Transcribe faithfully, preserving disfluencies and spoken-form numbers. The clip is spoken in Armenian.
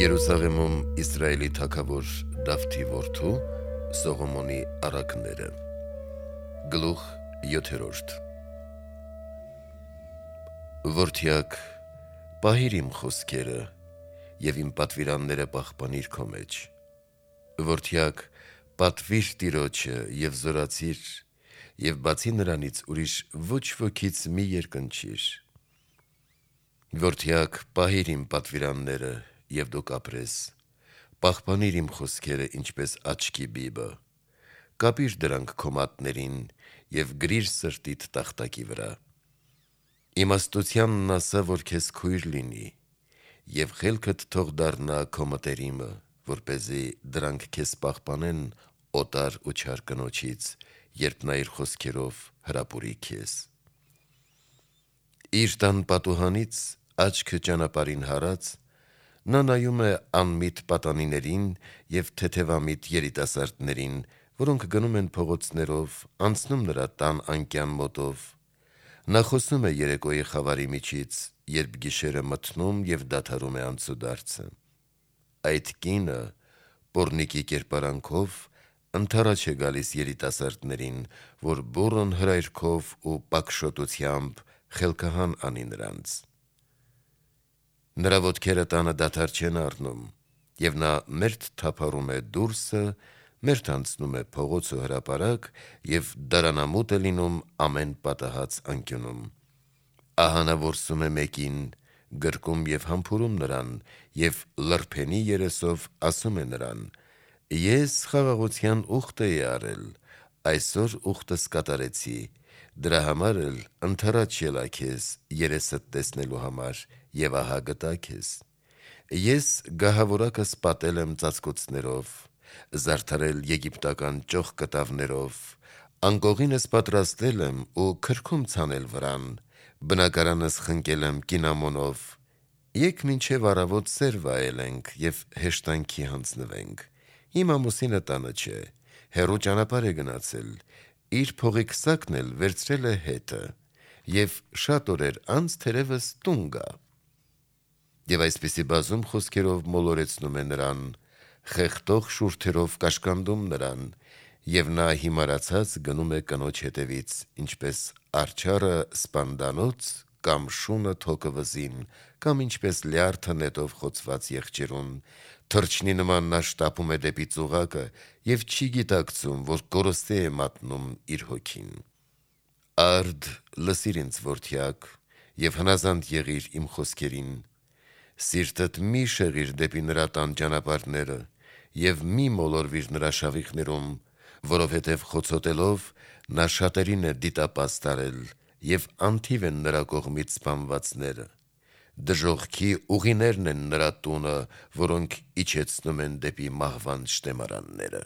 Երուսաղեմում Իսրայելի թագավոր Դավթի որդու Սողոմոնի առակները։ Գլուխ յոթերորդ Որդյակ, պահիր իմ խոսքերը և իմ պատվիրանները պահպանիր քո մեջ։ Որդյակ, պատվիր Տիրոջը և զորացիր, և բացի նրանից ուրիշ ոչ ոքից մի երկնչիր։ Որդյակ, պահիր իմ պատվիրանները, և դու կապրես, պահպանիր իմ խոսքերը ինչպես աչքի բիբը, կապիր դրանք քո մատներին և գրիր սրտիդ տախտակի վրա։ Իմաստությանն ասա, որ քեզ քույր լինի, և խելքդ թող դառնա քո մտերիմը, որպեսզի դրանք քեզ պահպանեն օտար ու չար կնոջից, երբ նա իր խոսքերով հրապուրի քեզ։ Իր տան պատուհանից աչքը ճանապարհին հարած, նա նայում է անմիտ պատանիներին և թեթևամիտ երիտասարդներին, որոնք գնում են փողոցներով, անցնում նրա տան անկյան մոտով։ Նա խոսում է երեկոյի խավարի միջից, երբ գիշերը մթնում և դադարում է անցուդարձը։ Այդ կինը պոռնիկի կերպարանքով ընդառաջ է գալիս երիտասարդներին, որ բուռն հրայրքով ու պակշոտությամբ խելքահան անի նրանց։ Նրա ոտքերը տանը դադար չեն առնում, և նա մերթ թափառում է դուրսը, մերթ անցնում է փողոց ու հրապարակ և դարանամուտ է լինում ամեն պատահած անկյունում։ Ահա նա որսում է մեկին, գրկում և համբուրում նրան և լրբենի երեսով ասում է նրան. «Ես խաղաղության ուխտ էի առել, այսօր ուխտս կատարեցի, դրա համար էլ ընդառաջ ելա քեզ երեսդ տեսնելու համար և ահա գտա քեզ։ Ես գահավորակս պատել եմ ծածկոցներով, զարդարել եգիպտական ճոխկտավներով, անկողինս պատրաստել եմ ու քրքում ցանել վրան, բնակարանս խնկել եմ կինամոնով։ Եկ մինչև առավոտ սեր վայելենք և հեշտանքի հանձնվենք։ Իմ ամուսինը տանը չէ, հեռու ճանապարհ է գնացել, իր փողի քսակն էլ վերցրել է հետը, և շատ օրեր անց թերևս տուն գա»։ Եվ այսպիսի բազում խոսքերով մոլորեցնում է նրան, խեղդող շուրթերով կաշկանդում նրան, և նա հիմարացած գնում է կնոջ հետևից, ինչպես արջառը սպանդանոց կամ շունը թոկը վզին, կամ ինչպես լյարդը նետով խոցված եղջերուն, թռչնի նման նա շտապում է դեպի ծուղակը և չի գիտակցում, որ կորստի է մատնում իր հոգին։ Արդ, լսիր ինձ, որդյակ, և հնազանդ եղիր իմ խոսքերին։ Սիրտդ մի շեղիր դեպի նրա տան ճանապարհները և մի մոլորվիր նրա շավիղներում, որովհետև խոցոտելով նա շատերին է դիտապաս տարել, և անթիվ են նրա կողմից սպանվածները։ Դժոխքի ուղիներն են նրա տունը, որոնք իջեցնում են դեպի մահվան շտեմարանները։